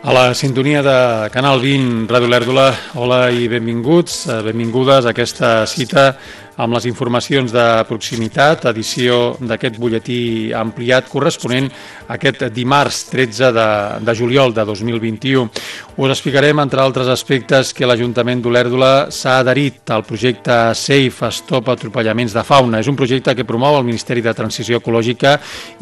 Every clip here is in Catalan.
A la sintonia de Canal 20, Ràdio Lèrdula, hola i benvinguts, benvingudes a aquesta cita amb les informacions de proximitat, edició d'aquest butlletí ampliat corresponent a aquest dimarts 13 de juliol de 2021. Us explicarem, entre altres aspectes, que l'Ajuntament d'Olèrdola s'ha adherit al projecte Safe Stop Atropellaments de Fauna. És un projecte que promou el Ministeri de Transició Ecològica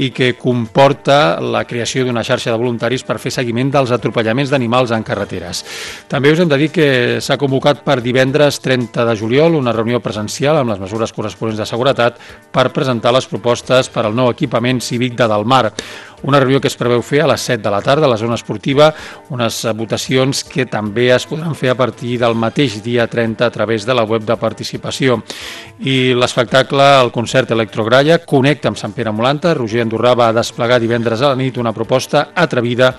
i que comporta la creació d'una xarxa de voluntaris per fer seguiment dels atropellaments d'animals en carreteres. També us hem de dir que s'ha convocat per divendres 30 de juliol una reunió presencial amb les mesures corresponents de seguretat per presentar les propostes per al nou equipament cívic de Delmar. Una reunió que es preveu fer a les 7 de la tarda a la zona esportiva, unes votacions que també es podran fer a partir del mateix dia 30 a través de la web de participació. I l'espectacle, el concert Electrogralla, Connecta amb Sant Pere Molanta. Roger Andorrà va desplegar divendres a la nit una proposta atrevida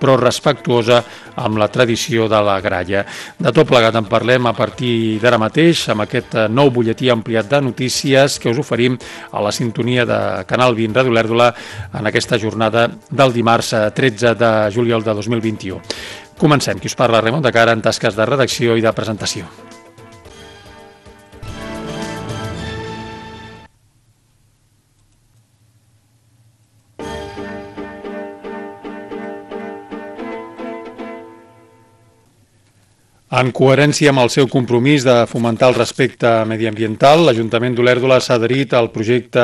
però respectuosa amb la tradició de la gralla. De tot plegat en parlem a partir d'ara mateix amb aquest nou butlletí ampliat de notícies que us oferim a la sintonia de Canal 20 Ràdio Lèrdula en aquesta jornada del dimarts 13 de juliol de 2021. Comencem. Qui us parla, Ramon de Cara, en tasques de redacció i de presentació. En coherència amb el seu compromís de fomentar el respecte mediambiental, l'Ajuntament d'Olèrdola s'ha adherit al projecte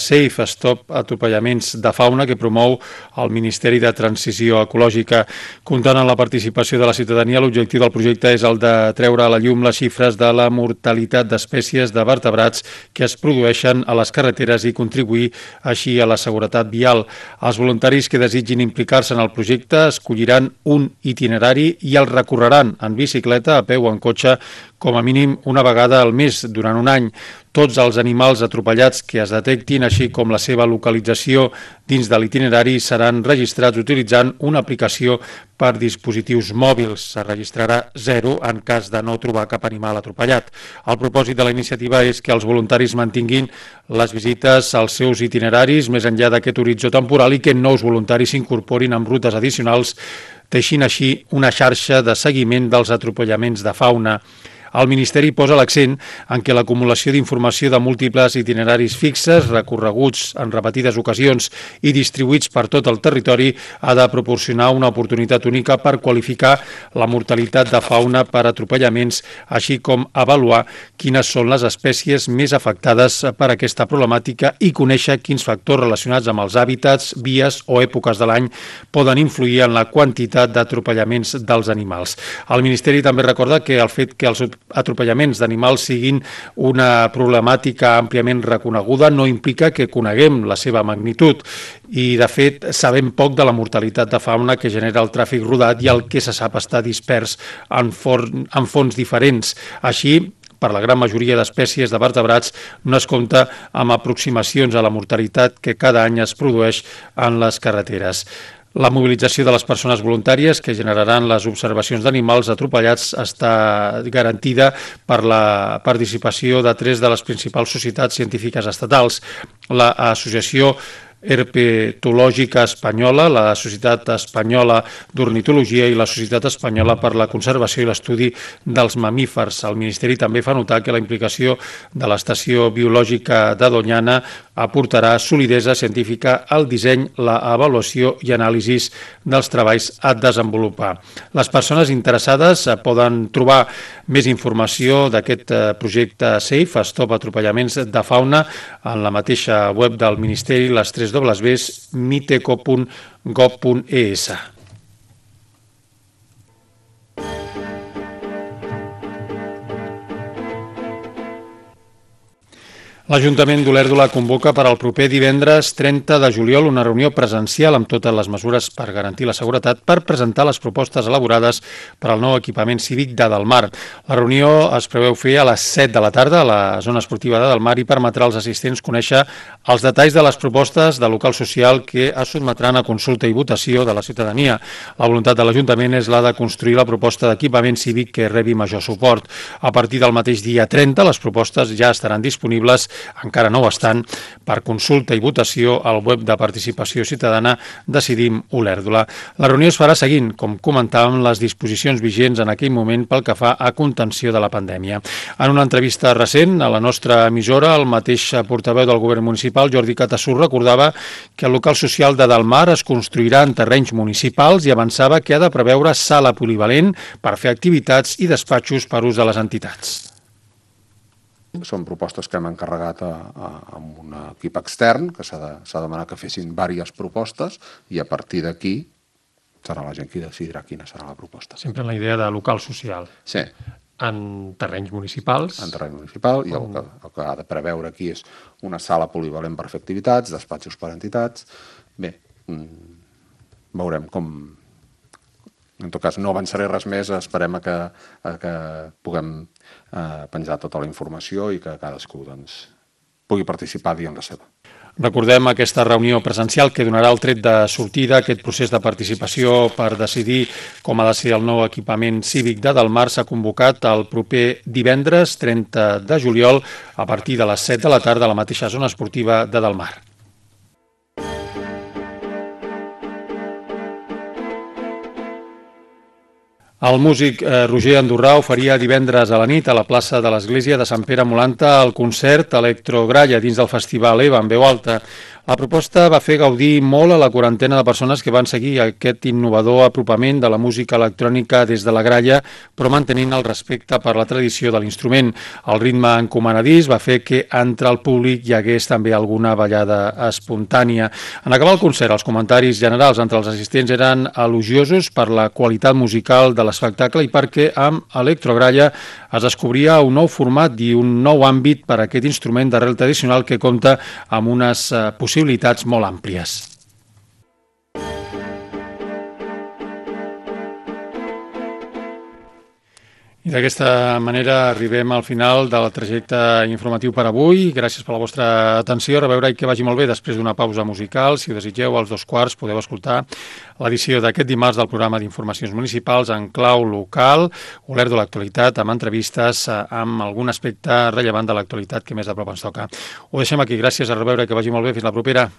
Safe Stop Atropellaments de Fauna que promou el Ministeri de Transició Ecològica. Comptant amb la participació de la ciutadania, l'objectiu del projecte és el de treure a la llum les xifres de la mortalitat d'espècies de vertebrats que es produeixen a les carreteres i contribuir així a la seguretat vial. Els voluntaris que desitgin implicar-se en el projecte escolliran un itinerari i el recorreran en bicicleta, a peu o en cotxe, com a mínim una vegada al mes durant un any. Tots els animals atropellats que es detectin, així com la seva localització dins de l'itinerari, seran registrats utilitzant una aplicació per dispositius mòbils. Se registrarà 0 en cas de no trobar cap animal atropellat. El propòsit de la iniciativa és que els voluntaris mantinguin les visites als seus itineraris més enllà d'aquest horitzó temporal i que nous voluntaris s'incorporin amb rutes addicionals, teixint així una xarxa de seguiment dels atropellaments de fauna. El Ministeri posa l'accent en què l'acumulació d'informació de múltiples itineraris fixes, recorreguts en repetides ocasions i distribuïts per tot el territori, ha de proporcionar una oportunitat única per qualificar la mortalitat de fauna per atropellaments, així com avaluar quines són les espècies més afectades per aquesta problemàtica i conèixer quins factors relacionats amb els hàbitats, vies o èpoques de l'any poden influir en la quantitat d'atropellaments dels animals. El Ministeri també recorda que el fet que els atropellaments d'animals siguin una problemàtica àmpliament reconeguda no implica que coneguem la seva magnitud i, de fet, sabem poc de la mortalitat de fauna que genera el tràfic rodat i el que se sap està dispers en fonts diferents. Així, per la gran majoria d'espècies de vertebrats no es compta amb aproximacions a la mortalitat que cada any es produeix en les carreteres. La mobilització de les persones voluntàries que generaran les observacions d'animals atropellats està garantida per la participació de 3 de les principals societats científiques estatals: l'Associació Herpetològica Espanyola, la Societat Espanyola d'Ornitologia i la Societat Espanyola per la Conservació i l'Estudi dels Mamífers. El Ministeri també fa notar que la implicació de l'Estació Biològica de Doñana aportarà solidesa científica al disseny, l'avaluació i anàlisis dels treballs a desenvolupar. Les persones interessades poden trobar més informació d'aquest projecte Safe Stop Atropellaments de Fauna en la mateixa web del Ministeri, les 3 www.miteco.gov.es. L'Ajuntament d'Olèrdola convoca per al proper divendres 30 de juliol una reunió presencial amb totes les mesures per garantir la seguretat per presentar les propostes elaborades per al nou equipament cívic de Delmar. La reunió es preveu fer a les 7 de la tarda a la zona esportiva de Delmar i permetrà als assistents conèixer els detalls de les propostes de local social que es sotmetran a consulta i votació de la ciutadania. La voluntat de l'Ajuntament és la de construir la proposta d'equipament cívic que rebi major suport. A partir del mateix dia 30, les propostes ja estaran disponibles encara no ho estan, per consulta i votació al web de participació ciutadana Decidim Olèrdola. La reunió es farà seguint, com comentàvem, les disposicions vigents en aquell moment pel que fa a contenció de la pandèmia. En una entrevista recent a la nostra emissora, el mateix portaveu del govern municipal, Jordi Catassur, recordava que el local social de Delmar es construirà en terrenys municipals i avançava que ha de preveure sala polivalent per fer activitats i despatxos per ús de les entitats. Són propostes que hem encarregat a un equip extern, que s'ha demanat que fessin diverses propostes i a partir d'aquí serà la gent qui decidirà quina serà la proposta. Sempre en la idea de local social. Sí. En terrenys municipals. En terreny municipal, i el que ha de preveure aquí és una sala polivalent per fer activitats, despatxos per entitats. Bé, veurem com... En tot cas, no avançaré res més, esperem a que puguem penjar tota la informació i que cadascú pugui participar dient la seva. Recordem aquesta reunió presencial que donarà el tret de sortida a aquest procés de participació per decidir com ha de ser el nou equipament cívic de Delmar. S'ha convocat el proper divendres 30 de juliol a partir de les 7 de la tarda a la mateixa zona esportiva de Delmar. El músic Roger Andorrà oferia divendres a la nit a la plaça de l'Església de Sant Pere Molanta el concert Electrogralla dins del festival EVA en veu alta. La proposta va fer gaudir molt a la quarantena de persones que van seguir aquest innovador apropament de la música electrònica des de la gralla, però mantenint el respecte per la tradició de l'instrument. El ritme encomanadís va fer que entre el públic hi hagués també alguna ballada espontània. En acabar el concert, els comentaris generals entre els assistents eren elogiosos per la qualitat musical de l'espectacle i perquè amb Electrogralla es descobria un nou format i un nou àmbit per a aquest instrument d'arrel tradicional que compta amb unes possibilitats molt àmplies. I d'aquesta manera arribem al final del trajecte informatiu per avui. Gràcies per la vostra atenció. A reveure i que vagi molt bé després d'una pausa musical. Si ho desitgeu, als 2:15 podeu escoltar l'edició d'aquest dimarts del programa d'informacions municipals en clau local, Olèrdola l'actualitat, amb entrevistes amb algun aspecte rellevant de l'actualitat que més de prop ens toca. Ho deixem aquí. Gràcies, a reveure i que vagi molt bé. Fins la propera.